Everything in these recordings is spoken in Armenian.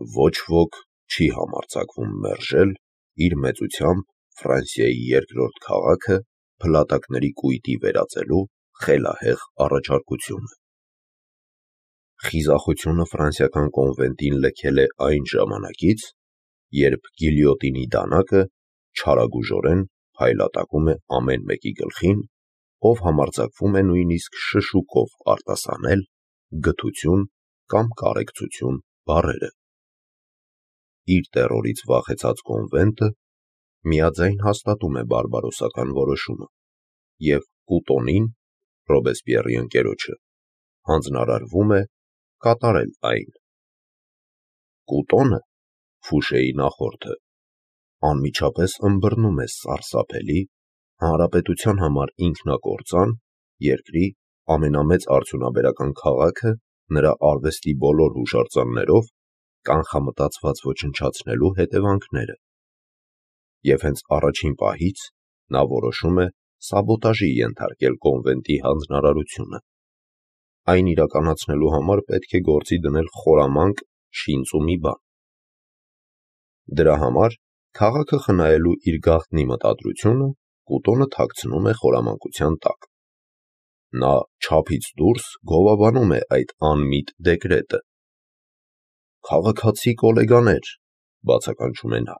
ոչ ոք չի համարձակվում մերժել իր մեծությամբ Ֆրանսիայի երկրորդ քաղաքը փլատակների կույտի վերածելու խելահեղ առաջարկությունը։ Խիզախությունը ֆրանսիական կոնվենտին լքել է այն ժամանակից, երբ գիլյոտինի դանակը չարագուժորեն փայլատակում է ամեն մեկի գլխին, ով համարձակվում է նույնիսկ շշուկով արտասանել գթություն կամ կարեկցություն բառերը։ Իր տեռորից վախեցած կոնվենտը միաձայն հաստատում է բարբարոսական որոշումը և Կուտոնին, Ռոբեսպիեռի ընկերոջը, հանձնարարվում է կատարել այն։ Կուտոնը, Ֆուշեի նախորդը, անմիջապես ըմբռնում է սարսափելի, հանրապետության համար ինքնակործան, երկրի ամենամեծ արդյունաբերական քաղաքը նրա արվեստի բոլոր հուշարձաններով կանխամտածված ոչնչացնելու հետևանքները, և հենց առաջին պահից նա որոշում է սաբոտաժի ենթարկել կոնվենտի հանձնարարությունը։ Այն իրականացնելու համար պետք է գործի դնել խորամանկ շինծ ու մի բան։ Դրա համար քաղաքը խնայելու իր գաղտնի մտադրությունը Կուտոնը թաքցնում է խորամանկության տակ։ Նա չափից դուրս գովաբանում է այդ անմիտ դեկրետը։ «Քաղաքացի կոլեգաներ», բացականչում է նա,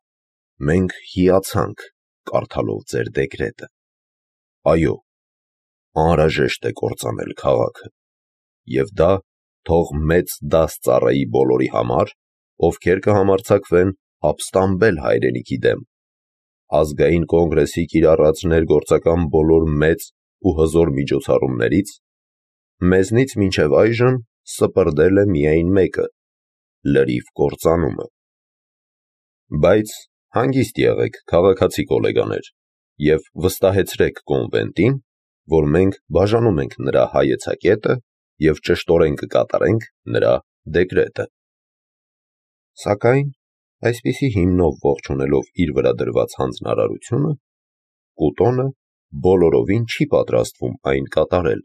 «մենք հիացանք կարդալով ձեր դեկրետը։ Այո, անհրաժեշտ է կործանել քաղաքը, և դա թող մեծ դաս ծառայի բոլորի համար, ովքեր կհամարձակվեն ապստամբել հայրենիքի դեմ, ազգային կոնգրեսի կիրառած ներգործական բոլոր մեծ ու հզոր միջոցառումներից, մեզնից մինչև այժմ սպրդել է միայն մեկը՝ լրիվ կործանումը։ Բայց հանգիստ եղեք, քաղաքացի կոլեգաներ, և վստահեցրեք կոնվենտին, որ մենք բաժանում ենք նրա հայեցակետը և ճշտորեն կկատարենք նրա դեկրետը»։ Սակայն այսպիսի հիմնով ողջունելով իր վրա դրված հանձնարարությունը, Կուտոնը բոլորովին չի պատրաստվում այն կատարել։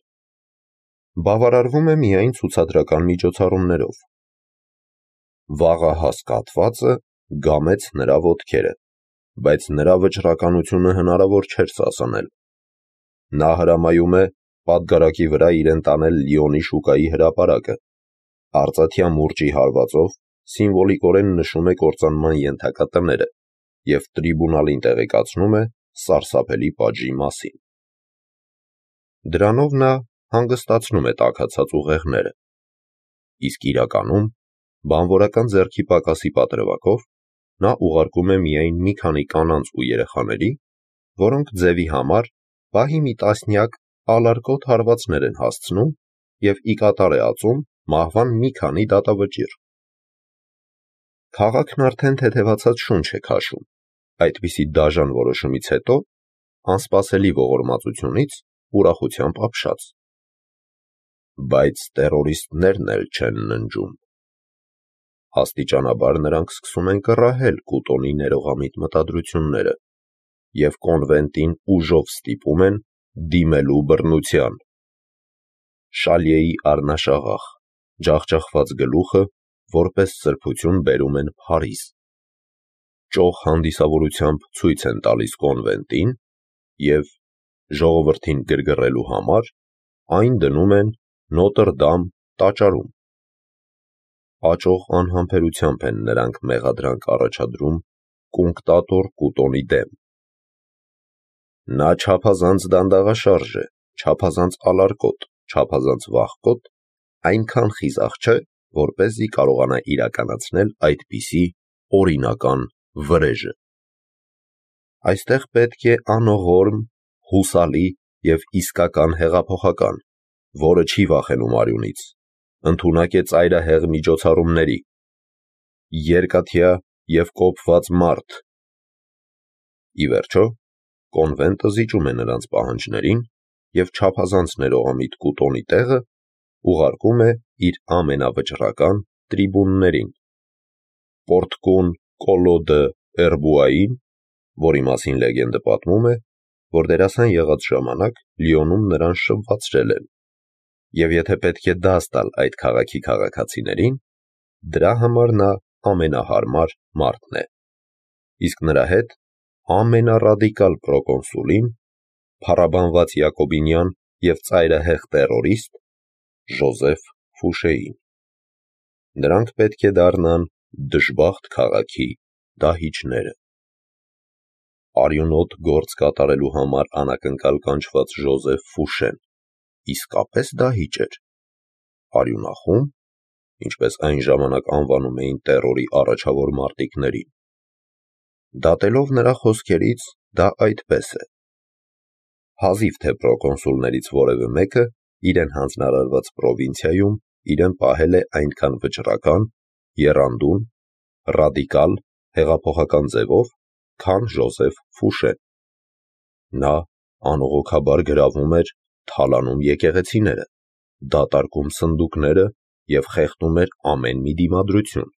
Բավարարվում է միայն ցուցադրական միջոցառումներով։ Վաղահաս կաթվածը գամեց նրա ոտքերը, բայց նրա վճռականությունը հնարավոր չէր սասանել։ Նա հրամայում է պատգարակի վրա իրեն տանել Լիոնի շուկայի հրապարակը, արծաթյա մուրճի հարվածով սիմվոլիկորեն նշում է կործանման ենթակա տները և տրիբունալին տեղեկացնում է սարսափելի պատժի մասին։ Դրանով նա հանգստացնում է տաքացած ուղեղները, իսկ իրականում բանվորական ձեռքի պակասի պատրվակով նա ուղարկում է միայն մի քանի կանանց ու երեխաների, որոնք ձևի համար պահի մի տասնյակ ալարկոտ հարվածներ են հասցնում և ի կատար է ածում մահվան մի քանի դատավճիռ։ Քաղաքն արդեն թեթևացած շունչ է քաշում, այդպիսի դաժան որոշումից հետո անսպասելի ողորմածությունից ուրախությամբ ապշած։ Բայց տեռորիստներն էլ չեն ննջում։ Աստիճանաբար նրանք սկսում են կռահել Կուտոնի ներողամիտ մտադրությունները և կոնվենտին ուժով ստիպում են դիմելու բռնության։ Շալյեի առնաշաղախ, ջախջախված գլուխը որպես սրբություն բերում են Փարիզ։ Ճոխ հանդիսավորությամբ ցույց են տալիս կոնվենտին և, ժողովրդին գրգռելու համար, այն դնում են Նոտր Դամ տաճարում։ Աճող անհամբերությամբ են նրանք մեղադրանք առաջադրում կունկտատոր Կուտոնի դեմ։ Նա չափազանց դանդաղաշարժ է, չափազանց ալարկոտ, չափազանց վախկոտ, այնքան խիզախ չէ, որպեսզի կարողանա իրականացնել այդպիսի օրինական վրեժը։ Այստեղ պետք է անողորմ, հուսալի և իսկական հեղափոխական, որը չի վախենում արյունից, ընդունակ է ծայրահեղ միջոցառումների, երկաթյա և կոփված մարդ։ Ի վերջո, կոնվենտը զիջում է նրանց պահանջներին և չափազանց ներողամիտ Կուտոնի տեղը ուղարկում է իր ամենավճռական տրիբուններին՝ պորտկուն Կոլո դը Էրբուային, որի մասին լեգենդը պատմում է, որ դերասան եղած ժամանակ Լիոնում նրան շվվացրել են, և եթե պետք է դաս տալ այդ քաղաքի քաղաքացիներին, դրա համար նա ամենահարմար մարդն է, իսկ նրա հետ ամենառադիկալ պրոկոնսուլին, փառաբանված յակոբինյան և ծայրահեղ տերորիստ Ժոզեֆ Ֆուշեին։ Նրանք պետք է դառնան դժբախտ քաղաքի դահիճները։ Արյունոտ գործ կատարելու համար անակնկալ կանչված Ժոզեֆ Ֆուշեն իսկապես դահիճ էր, արյունախո՞ւմ, ինչպես այն ժամանակ անվանում էին տերորի առաջավոր մարտիկներին։ Դատելով նրա խոսքերից, դա այդպես է։ Հազիվ թե պրոկոնսուլներից որևէ մեկը իրեն հանձնարարված պրովինցիայում իրեն պահել է այնքան վճռական, եռանդուն, ռադիկալ, հեղափոխական ձևով, քան Ժոզեֆ Ֆուշեն։ Նա անողոքաբար գրավում էր, թալանում եկեղեցիները, դատարկում սնդուկները և խեղդում էր ամեն մի դիմադրություն։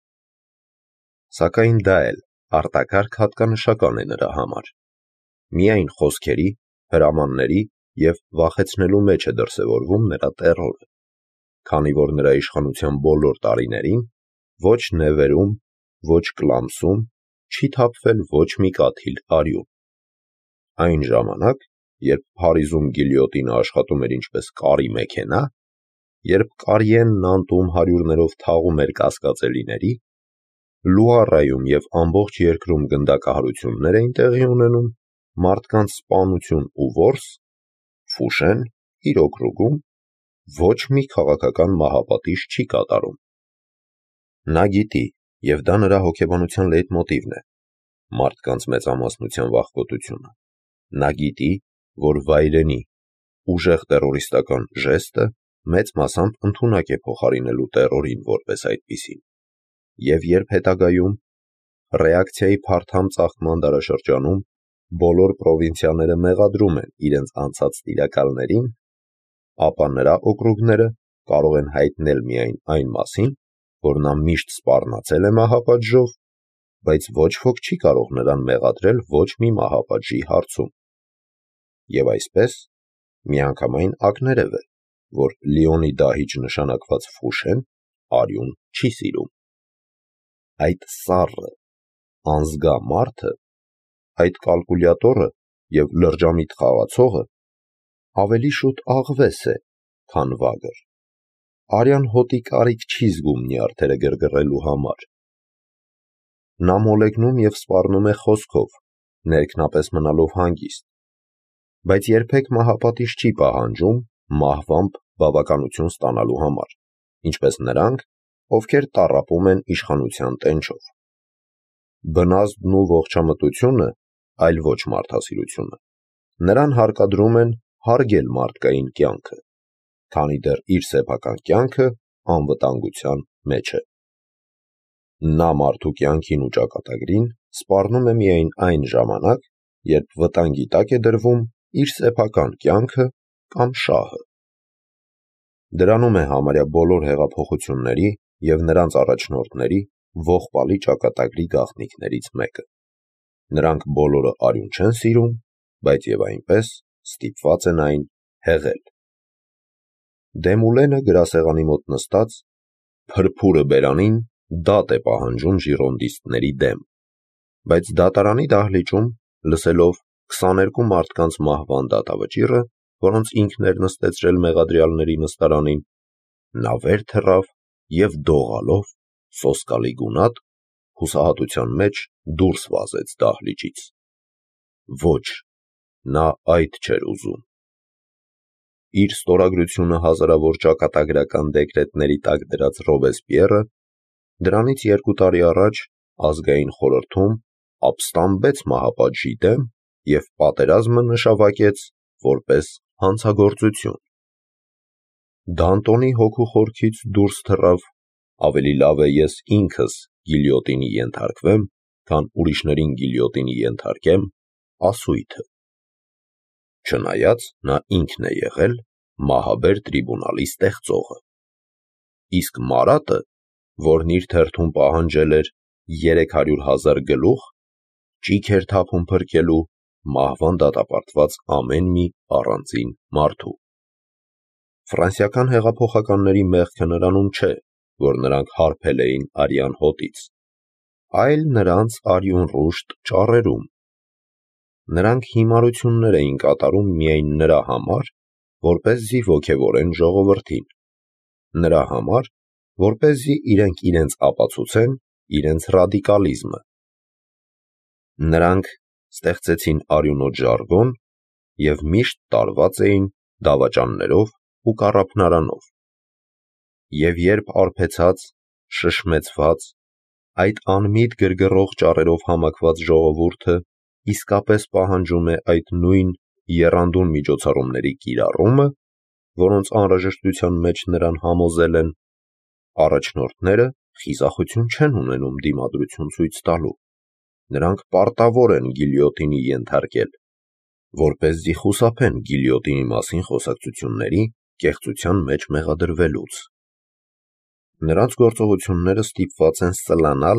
Սակայն դա էլ արտակարգ հատկանշական է նրա համար։ Միայն խոսքերի, հրամանների և վախեցնելու մեջ է դրսևորվում նրա տերորը, քանի որ նրա իշխանության բոլոր տարիներին ոչ Նևերում, ոչ Կլամսում չի թափվել ոչ մի կաթիլ արյուն։ Այն ժամանակ, երբ Փարիզում գիլյոտինը աշխատում էր ինչպես կարի մեքենա, երբ Կարիեն Նանտում հարյուրներով թաղում էր կասկածելիների, Լուարայում և ամբողջ երկրում գնդակահարություններ էին տեղի ունենում, մարդկանց սպանություն ու որս, Ֆուշեն իր օկրուգում ոչ մի քաղաքական մահապատիժ չի կատարում։ Նա գիտի, և դա նրա հոգեբանության լեյտմոտիվն է, մարդկանց մեծամասնության վախկոտությունը։ Նա գիտի, որ վայրենի, ուժեղ տերորիստական ժեստը մեծ մասամբ ընդունակ է փոխարինելու տերորին որպես այդպիսին, և երբ հետագայում, ռեակցիայի փարթամ ծաղկման դարաշրջանում, բոլոր պրովինցիաները մեղադրում են իրենց անցած տիրակալներին, ապա նրա օկրուգները կարող են հայտնել միայն այն մասին, որ նա միշտ սպառնացել է մահապատժով, բայց ոչ ոք չի կարող նրան մեղադրել ոչ մի մահապատժի հարցում։ Եվ այսպես, միանգամայն ակներև է, որ Լիոնի դահիճ նշանակված Ֆուշեն արյուն չի սիրում։ Այդ սառը, անզգա մարդը, այդ կալկուլյատորը և լրջամիտ խաղացողը ավելի շուտ աղվես է, քան վագր։ Արյան հոտի կարիք չի զգում նյարդերը գրգռելու համար։ Նա մոլեգնում և սպառնում է խոսքով, ներքնապես մնալով հանգիստ, բայց երբեք մահապատիժ չի պահանջում մահվամբ բավականություն ստանալու համար, ինչպես նրանք, ովքեր տառապում են իշխանության տենչով։ Բնազդն ու ողջամտությունը, այլ ոչ մարդասիրությունը, նրան հարկադրում են հարգել մարդկային կյանքը, քանի դեռ իր սեփական կյանքը անվտանգության մեջ է։ Նա մարդու կյանքին ու ճակատագրին սպառնում է միայն այն ժամանակ, երբ վտանգի տակ է դրվում իր սեփական կյանքը կամ շահը։ Դրանում է համարյա բոլոր հեղափոխությունների և նրանց առաջնորդների ողբալի ճակատագրի գաղտնիքներից մեկը։ Նրանք բոլորը արյուն չեն սիրում, բայց և այնպես ստիպված են այն հեղել։ Դեմուլենը գրասեղանի մոտ նստած, փրփուրը բերանին, դատ է պահանջում ժիրոնդիստների դեմ, բայց դատարանի դահլիճում, լսելով 22 մարդկանց մահվան դատավճիռը, որոնց ինքն էր նստեցրել մեղադրյալների նստարանին, նա վեր թռավ և դողալով, սոսկալի գունատ, հուսահատության մեջ դուրս վազեց դահլիճից։ Ոչ, նա այդ չէր ուզում։ Իր ստորագրությունը հազարավոր ճակատագրական դեկրետների տակ դրած Ռոբեսպիեռը դրանից 2 տարի առաջ ազգային խորհրդում ապստամբեց մահապատժի դեմ և պատերազմը նշավարկեց որպես հանցագործություն։ Դանտոնի հոգու խորքից դուրս թռավ «Ավելի լավ է ես ինքս գիլյոտինի ենթարկվեմ, քան ուրիշներին գիլյոտինի ենթարկեմ» ասույթը։ Չնայած նա ինքն է եղել մահաբեր տրիբունալի ստեղծողը։ Իսկ Մարատը, որն իր թերթում պահանջել էր 300,000 գլուխ, ճիգ էր թափում փրկելու մահվան դատապարտված ամեն մի առանձին մարդու։ Ֆրանսիական հեղափոխականների մեղքը նրանում չէ, որ նրանք հարբել էին արյան հոտից, այլ նրանց արյունռուշտ ճառերում։ Նրանք հիմարություններ էին կատարում միայն նրա համար, որպեսզի ոգևորեն ժողովրդին, նրա համար, որպեսզի իրենք իրենց ապացուցեն իրենց ռադիկալիզմը։ Նրանք ստեղծեցին արյունոտ ժարգոն և միշտ տարված էին դավաճաններով ու կառափնարանով։ Եվ երբ արբեցած, շշմեցված, այդ անմիտ գրգռող ճառերով համակված ժողովուրդը իսկապես պահանջում է այդ նույն եռանդուն միջոցառումների կիրառումը, որոնց անհրաժեշտության մեջ նրան համոզել են, առաջնորդները խիզախություն չեն ունենում դիմադրություն ցույց տալու, նրանք պարտավոր են գիլյոտինի ենթարկել, որպեսզի խուսափեն գիլյոտինի մասին խոսակցությունների կեղծության մեջ մեղադրվելուց։ Նրանց գործողությունները ստիպված են սլանալ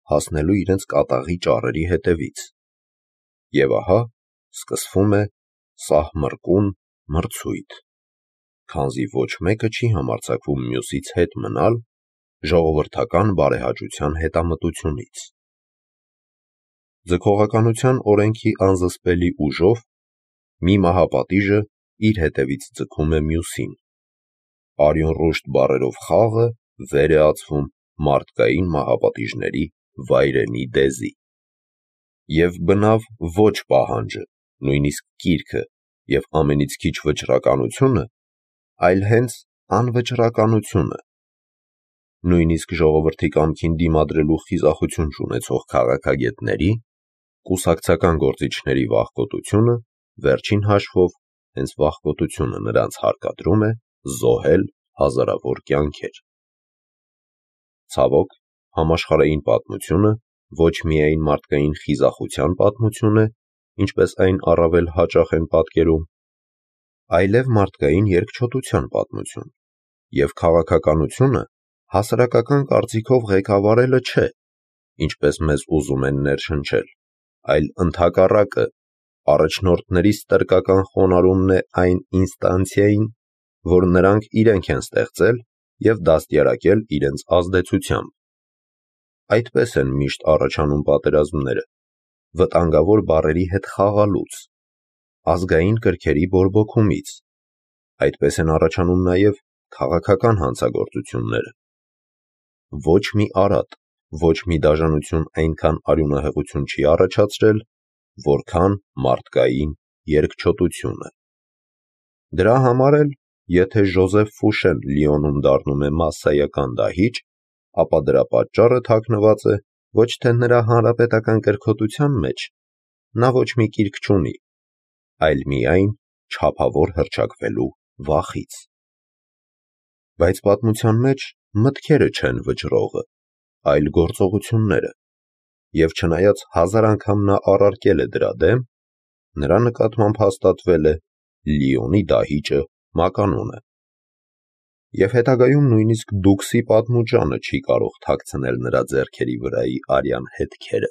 հասնելու իրենց կատաղի ճառերի հետևից։ Եվ ահա սկսվում է սահմռկուն մրցույթ, քանզի ոչ մեկը չի համարձակվում մյուսից հետ մնալ ժողովրդական բարեհաճության հետամտությունից։ Ձգողականության օրենքի անզսպելի ուժով մի մահապատիժը իր հետևից ձգում է մյուսին։ Արյունռուշտ բառերով խաղը վեր է ածվում մարդկային մահապատիժների վայրենի դեզի։ Եվ բնավ ոչ պահանջը, նույնիսկ կիրքը և ամենից քիչ վճռականությունը, այլ հենց անվճռականությունը։ Նույնիսկ ժողովրդի կամքին դիմադրելու խիզախություն չունեցող քաղաքագետների, կուսակցական գործիչների վախկոտությունը, վերջին հաշվով, հենց վախկոտությունը նրանց հարկադրում է զոհել հազարավոր կյանքեր։ Ցավոք, համաշխարհային պատմությունը ոչ միայն մարդկային խիզախության պատմություն է, ինչպես այն առավել հաճախ են պատկերում, այլև մարդկային երկչոտության պատմություն, և քաղաքականությունը հասարակական կարծիքով ղեկավարելը չէ, ինչպես մեզ ուզում են ներշնչել, այլ ընդհակառակը, առաջնորդների ստրկական խոնարհումն է այն ինստանցիային, որ նրանք իրենք են ստեղծել և դաստիարակել իրենց ազդեցությամբ։ Այդպես են միշտ առաջանում պատերազմները, վտանգավոր բառերի հետ խաղալուց, ազգային կրքերի բորբոքումից, այդպես են առաջանում նաև քաղաքական հանցագործությունները։ Ոչ մի արատ, ոչ մի դաժանություն այնքան արյունահեղություն չի առաջացրել, որքան մարդկային երկչոտությունը։ Դրա համար էլ, եթե Ժոզեֆ Ֆուշեն Լիոնում դառնում է մասսայական դահիճ, ապա դրա պատճառը թաքնված է ոչ թե նրա հանրապետական կրքոտության մեջ, նա ոչ մի կիրք չունի, այլ միայն չափավոր հռչակվելու վախից։ Բայց պատմության մեջ մտքերը չեն վճռողը, այլ գործողությունները, և չնայած հազար անգամ նա առարկել է դրա դեմ, նրա նկատմամբ հաստատվել է Լիոնի դահիճը մականուն է։ Եվ հետագայում նույնիսկ Դուքսի պատմուճանը չի կարող թաքցնել նրա ձեռքերի վրայի արյան հետքերը։